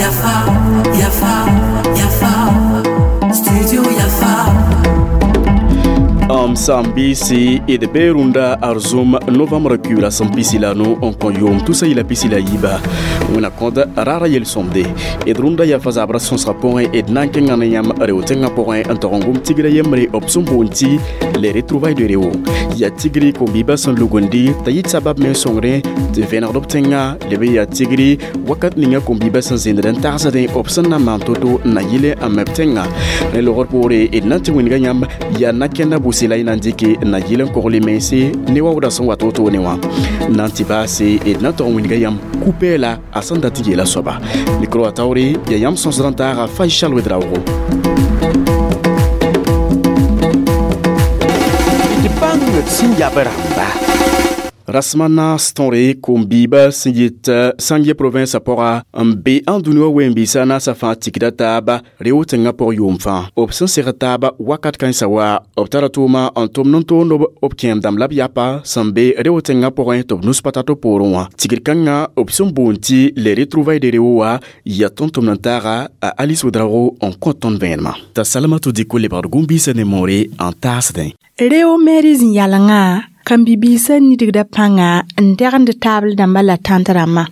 Yafa, Yafa, Yafa, Studio Yafa. Sambisi d be rũndã arzʋm novembre kiuura sẽn pisi la no n kõ yʋʋm tusa yɩla pisi la yiiba. Wẽna kõd raara yel-sõmde d rũndã yafa zabrã sõsgã pʋgẽ, d na n kẽnga ne yãmb reo tẽngã pʋgẽ n tog n gom tigrã yembre b sẽn boond tɩ les retrouvailles de Réo. Yaa tigri kom-biibã sẽn lugendi t'a yɩ sabab me n sõngre tɩ vẽnegd b tẽngã leb n yaa tigri wakat ninga kom-biibã sẽn zĩnd n tagsdẽ b sẽn na n maan to-to n na yɩle n me b tẽngã. Rẽ logr poore d na n tɩ wĩnga yãmb yaa na-kẽnda bʋse la y na n dɩke n na yɩl n kogl mense ne waoodã sẽn wa to-to-ne wã. N na n tɩ baase, d na n tog n wĩnga yãmb kupɛɛla a sẽn dat n yeela soaba. Mikro wã taoore yaa yãmb sõsd n taaga Faisal Wedraogo. D bãng d sẽn yab rãmba. Rasmana tõre kom-biibã sẽn yet Sanguie province pʋga n be ãndũni wã ween-biisã naasã fãa tikda taaba reo tẽngã pʋg yʋʋm fãa. B sẽn seg taaba wakat kãensã wa, b tara tʋʋma n tʋm nin-toond b kẽem dãmb la b yapa sẽn be reo tẽngã pʋgẽ tɩ b nus pa tat b poorẽ wã. Tigr kãngã b sẽn boond tɩ les retrouvailles de Réo wã yaa tõnd tʋmd n taaga a Alice Ouedraogo n kõ tõnd vẽenemã. T'a Salamatu Diko lebgd gũm-biisã ne moore n taasdẽ. Reo mɛri zĩ-yalengã kãn-bibiisã nidgda pãnga n dɛgend taabl dãmbã la tãnt rãmbã.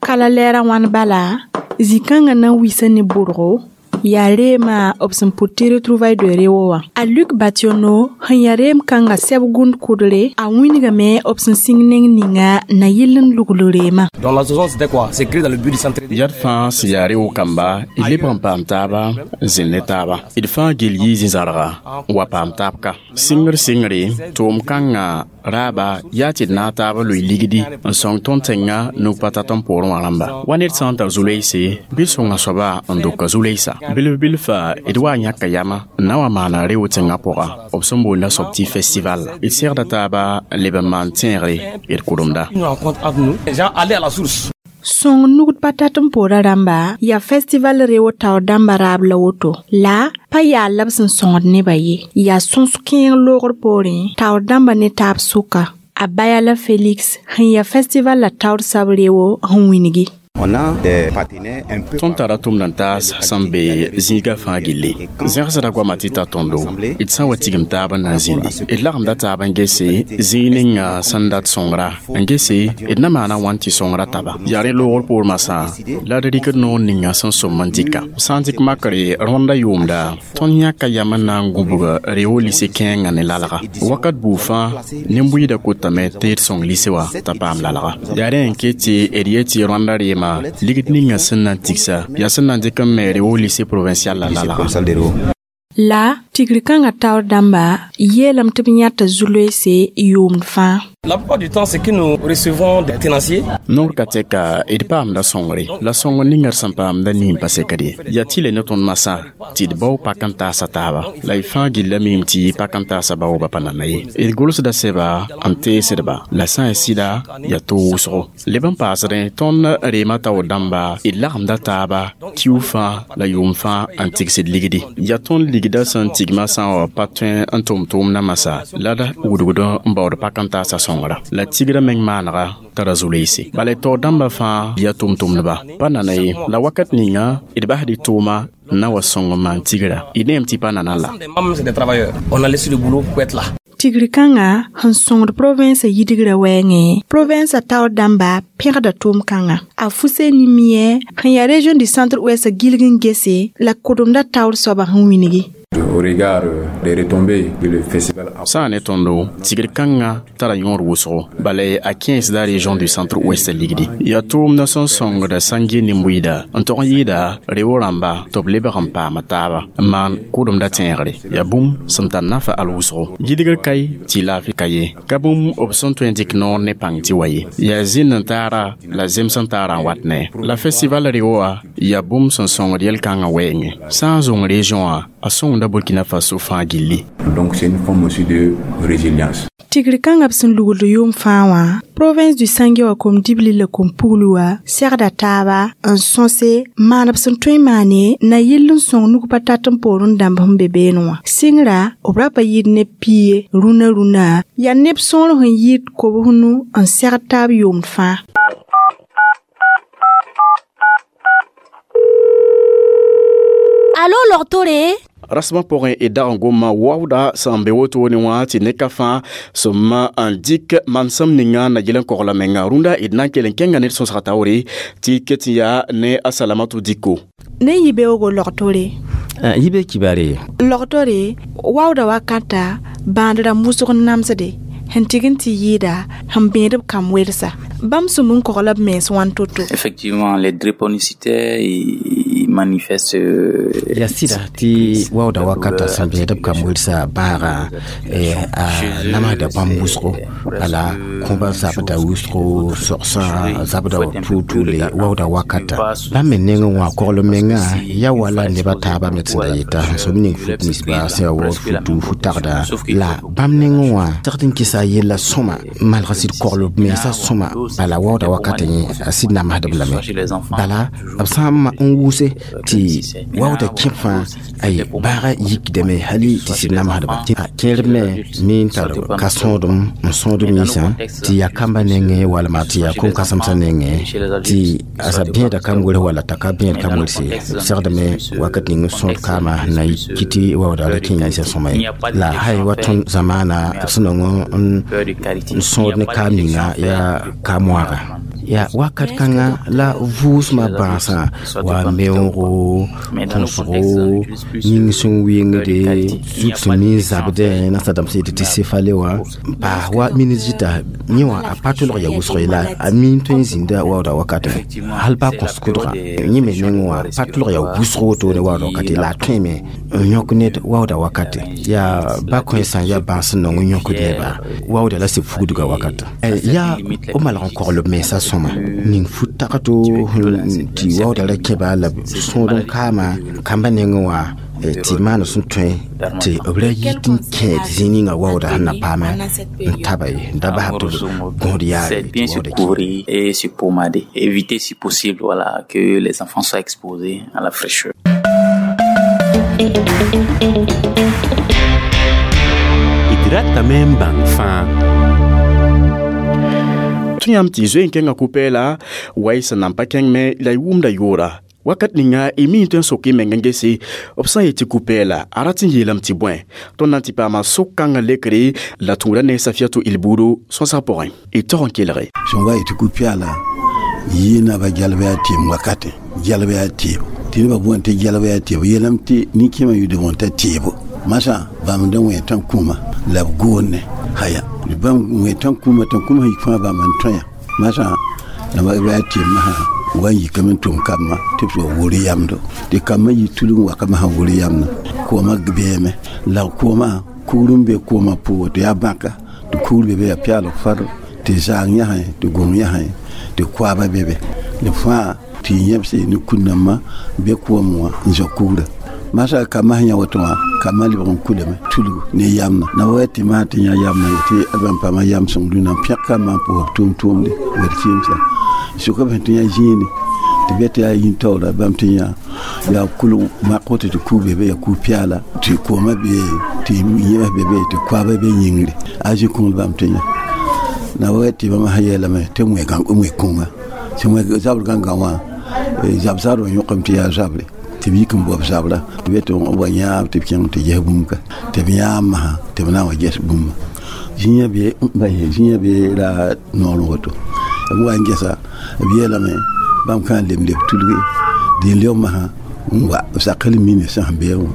Kala lɛɛrã wãn bala, zĩ-kãngã na n wisa ne bʋrgo, yaa reemã b sẽn pʋt tɩ retrouvailles de Réo wã. A Luc Bationo sẽn yaa reem kãngã sɛb gũnd kʋdre, a wĩnigame b sẽn sĩng neng ninga na yɩl n lugl reemã. Dans l'association, c'était quoi? C'est créé dans le but de s'entraider. Yad fãa sẽn yaa reo kamba, d lebg n paam taaba n zĩnd ne taaba. D fãa gill yɩ zĩ-zãrga n wa paam taab ka. Sɩngr sɩngre, tʋʋm kãngã raaba yaa tɩ d naag taab loe ligdi n sõng tõnd tẽngã nug pa tat n poorẽ wã rãmba. Wa ned sã n tar zu-loeese, bɩ sõnga soaba n doka zu-loeesa. Bilf bilfa d wa n yãka yama n na n wa maana reo tẽngã pʋga b sẽn boonda soab tɩ festival. D segda taaba n leb n maan tẽegre d kʋremda. Une rencontre entre nous. Les gens allaient à la source. Sõng nugd pa tat n poorã rãmba yaa festival reo taoor dãmba raab la woto. La pa yaa la b sẽn sõngd nebã ye. Yaa sõs kẽeng loogr poorẽ taoor dãmba ne taab sʋka. A Bayala Félix sẽn yaa festival la taoor sab reo sẽn wĩngi. On a des partenaires un peu Tõnd tara tʋmd n taas sẽn be zĩigã fãa gilli. Zẽgsda goama tɩ ta tõndo, d sã n wa tigim taab n na n zĩndi. D lagmda taab n gese zĩig ninga sẽn dat sõngra n gese d na maana wãn tɩ sõngra taba. Yaa rẽ loogr poor masã la d rɩkd noor ninga sẽn sõm n dɩka. Sã n dɩk makre rõndã yʋʋmda, tõnd yãka yam n na n gũbg reo lise kẽengã ne lalga. Wakat buud fãa nin-buiidã kotame tɩ d sõng lise wã t'a paam lalga. Yaa rẽ n ket tɩ d yet tɩ rõndã reema ligd ninga sẽn na n tigsa yaa sẽn na n dɩk n me reo lycée provincial la lalga. La tigr kãngã taoor dãmba yeelame tɩ b yãta zu-loeese yʋʋmd fãa. La plupart du temps, c'est que nous recevons des tenanciers. Noor ka tɛka d paamda sõngre la sõngr ninga d sẽn paamda nin pa sɛkd ye. Yaa tɩ le ne tõnd masã tɩ d bao pak n taasa taaba la y fãa gilla miime tɩ pak n taasa baoobã pa nana ye. D gʋlsda sɛba n teesdba la sã n ya sɩda yaa to wʋsgo. Leb n paasdẽ tõnd reemã taoor dãmba d lagmda taaba kiu fãa la yʋʋm fãa n tigsd ligdi. Yaa tõnd ligda sẽn tigmã sã n wa pa tõe n tʋm tʋʋmdã masã la d wudgd n baood pak n taasa sõngra. La tigrã meng maanega tara zu-loeese. Bala taoor dãmbã fãa yaa tʋm-tʋmdba pa nana ye. La wakat ninga d basd d tʋʋma n na wa sõng n maan tigra. D neem tɩ pa nana la. Des membres, c'est des travailleurs. On a laissé le boulot pour être là. Tigr kãngã sẽn sõngd province yidigrã wɛɛngẽ, province taoor dãmba pẽgda tʋʋm kãngã. A Fuseni Mie sẽn yaa région du centre ouest gilg n gese la kʋdemda taoor soabã sẽn wĩngi. Au regard des retombées que le festival a. Sã n ne tõndo tigr kãngã tara yõod wʋsgo bala a kẽesda région du centre ouest ligdi. Yaa tʋʋmdã sẽn sõngda sãn-ge nin-buiida n tog n yɩɩda reo rãmba tɩ b lebg n paama taaba n maan kʋʋdemda tẽegre. Yaa bũmb sẽn tar nafa al wʋsgo. Yidgr ka ye tɩ laafɩ ka ye. Ka bũmb b sẽn tõe n dɩk noor ne pãng tɩ wa ye. Yaa zĩnd n taar taara la zems n taara n wat ne la festival reo wã yaa bũmb sẽn sõngd yel-kãngã wɛɛngẽ sã n zõng région wã a sõngda Burkina Faso fãa gilli. Donc c'est une forme aussi de résilience. Tigr kãngã b sẽn lugl yʋʋm fãa wã province du Sanguie wã kom-dibli la kom-puglu wã segda taaba n sõse maan b sẽn tõe n maane na yɩll n sõng nug pa tat n poorẽ dãmb sẽn be beene wã sɩngra b ra pa yɩɩd neb pie rũnã rũnã yaa neb sõor sẽn yɩɩd kobs nu n segd taab yʋʋmd fãa. Alo logtore Rasmã pʋgẽ d dag n goma waooda sẽn be wotone wã tɩ ne ka fãa sẽn ma n dɩk mansem ninga na yɛl n kogla menga rũndã d na n kell n kẽnga ned sõsga taoore tɩ ket n yaa ne a Salamatu Diko. Ne yibeoogo logtore. Yibe kibare. Logtore waooda wakata bãad rãmb wʋsg n namsde sẽn tɩg n tɩ yɩɩda sẽn bẽed b kam welsa bãmb sũm n kogla b mens wãn to-to. Effectivement, les drépanocytaires ils manifestent yaa sɩda tɩ waooda wakata sẽn bẽed b kam welsa baaga a namsda bãmb wʋsgo bala kõba zabda wʋsgo sogsã zabda tʋʋl-tʋʋle waooda wakata bãmb me nengẽ wã kogl menga yaa wala neba taabã me sẽn da yeta sẽn ning fut ninsba sẽn yaa waood futu fu-tagda la bãmb nengẽ wã tɩgd n kɩsa yella sõma malg sɩd kogl mensã sõma bala waooda wakata yẽ a sɩd namsdb lame bala b sã n wʋse tɩ waooda kẽ fãa ay baaga yikdame hali tɩ sɩd namsdba tɩ kẽerb me mi n tar ka sõodem n sõod minsã tɩ yaa kambã nengẽ walma tɩ yaa kom-kãsemsã nengẽ tɩ a sa bẽeda kam wels wala t'a ka bẽed kam welse b segdame wakat ning n sõod kaama na kɩ tɩ waooda ra kẽ yĩnsã sõma ye la hay wa tõnd zamaana b sẽn nong n sõod ne kaam ninga yaa kaam-wãaga yaa wakat kãngã la vʋʋsmã bãasã wa meoogo kõsgo yĩng sẽn wɩngde zug sẽn mi n zabdẽ nasadãmb sẽn yetɩ tɩ sefale wã n paas wa minzita yẽ wã a pa tolg ya wʋsg ye la a mi n tõe n zĩnda waooda wakatẽ hal ba kõs-kʋdga yẽ me nengẽ wã pa tolg ya wʋsg wotone waooda wakate la a tõeme n yõk ned waooda wakate yaa ba kõe sã n yaa bãas n nong n yõkd neba waooda la seb fugdga wakata yaa b malg n kogl b mensã sõma ning fu-tagto tɩ waooda ra kẽba la sõod n kaama kambã nengẽ wã tɩ maan sẽn tõe tɩ b ra yit n kẽed zĩ ninga waooda sẽn na paame n taba ye n da basb tɩ gõod yaare. C'est bien se couvrir et se pommader. Éviter si possible, voilà, que les enfants soient exposés à la fraîcheur. D ratame n bãng fãa. Tõe yãmb tɩ zoe n kẽngã ku-pɛɛla wa y sẽn nan pa kẽng me la y wʋmda yʋʋra wakat ninga y mi n tõe n sok y meng n gese b sã n yet tɩ ku-pɛɛla a rat n yeelame tɩ bõe tõnd na n tɩ paama sok-kãngã lekre la tũuda ne Safiatou Ilbudo sõsg pʋgẽ y tog n kelge. Sẽn wa yetɩ ku-pɛɛla yɩ naba gelb yaa tɩɩm wakatẽ gelb yaa tɩɩbo tɩ nebã boond tɩ gelb yaa tɩɩbo yeelame tɩ nin-kẽemã yʋʋd boond t'a tɩɩbo masã bãmb d wẽ tãn-kũumã la b goonne haya bãmb wẽ tãn-kũumã tãn-kũumã yik fãa bãmb n tõe masã naba yaa tɩɩm masã wa n yikame n tʋm kambã tɩ b wa wor yamdo tɩ kambã yi tulg n wa kambã sẽn wor yamdã koomã beeme la koomã kugr n be koomã pʋgẽ tɩ yaa bãka tɩ kugr be be yaa pealg far tɩ zaag yãsẽ tɩ gom yãsẽ tɩ koaaba be be la fãa tɩ yẽbse ne kũnãmbã be koom wã n zõ kugrã masã kambã sẽn yã woto wã kambã lebg n kulame tulgu ne yamna na wa tɩ masã tɩ yã yamna tɩ bãmb paama yam sõng rũnã n pẽg kambã n pʋsb tʋʋm-tʋʋmde wed kɩɩmsa sʋka b sẽn tɩ yã zĩine tɩ be tɩ yaa yĩn-taoora bãmb tɩ yã yaa kul mak woto tɩ kug be be yaa kug-pɛɛla tɩ koomã be tɩ yẽbs be be tɩ koaaba be yĩngre a zĩ-kũul bãmb tɩ yã na wa tɩ bãmb sã yeelame tɩ wẽ kũuma sẽn wẽ zabr gãngã wã zab-zabr n yõkame tɩ yaa zabre tɩ b yik n bob zabra tɩ be tɩ wa yãab tɩ b kẽng tɩ ges bũmb ka tɩ b yãab masã tɩ b na n wa ges bũmba zĩiã be zĩiã be ra noorẽ woto b wa n gesa b yeelame bãmb kã n lem-leb tulge dẽn leoog masã n wa b sak l mine sẽn be wã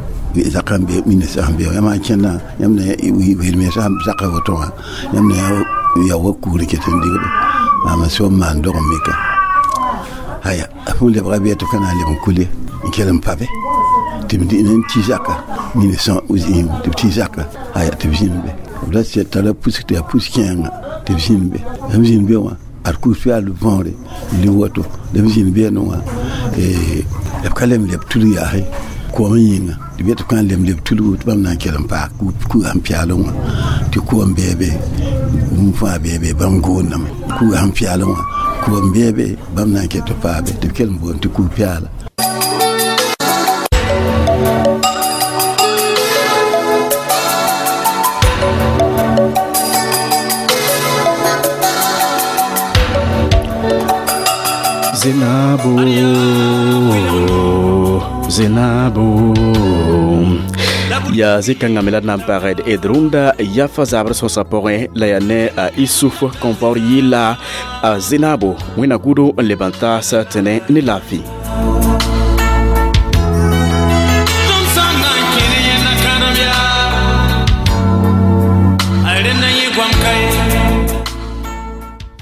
zakã be mine sẽn be yãmb sã n kẽndã yãmb na weel mensã zaka woto wã yãmb na yaa wa kugr ket n digdo maama soab maan dog n mika haya fõn lebga bɩ tɩ b ka na n leb n kule n kell n pabe tɩ b n tɩ zaka mine sã zĩig tɩ b tɩ zaka haya tɩ b zĩnd be b ra tara pusk tɩ yaa pus kẽenga tɩ b zĩnd be b zĩnd be wã Ad ku-peaal võore li woto la b zĩnd beene wã b ka lem leb tul yaase koom yĩnga tɩ b yet tɩ b ka n lem leb tulgu tɩ bãmb na n kell n paag kuga sẽn peaalẽ wã tɩ koom bee be bũmb fãa bee be bãmb goondame kuga sẽn peaalẽ wã koom bee be bãmb na n ket tɩ paabe tɩ b kell n boond tɩ kug-peaala. Zenabo, Zenabo. Yaa zĩ-kãngã me la d na n pagd d rũndã yafa zabr sõsã pʋgẽ la yaa ne a Isuf Compaoré yɩla a Zenabo wẽnna gʋdo n leb n taas tẽne ne laafɩ.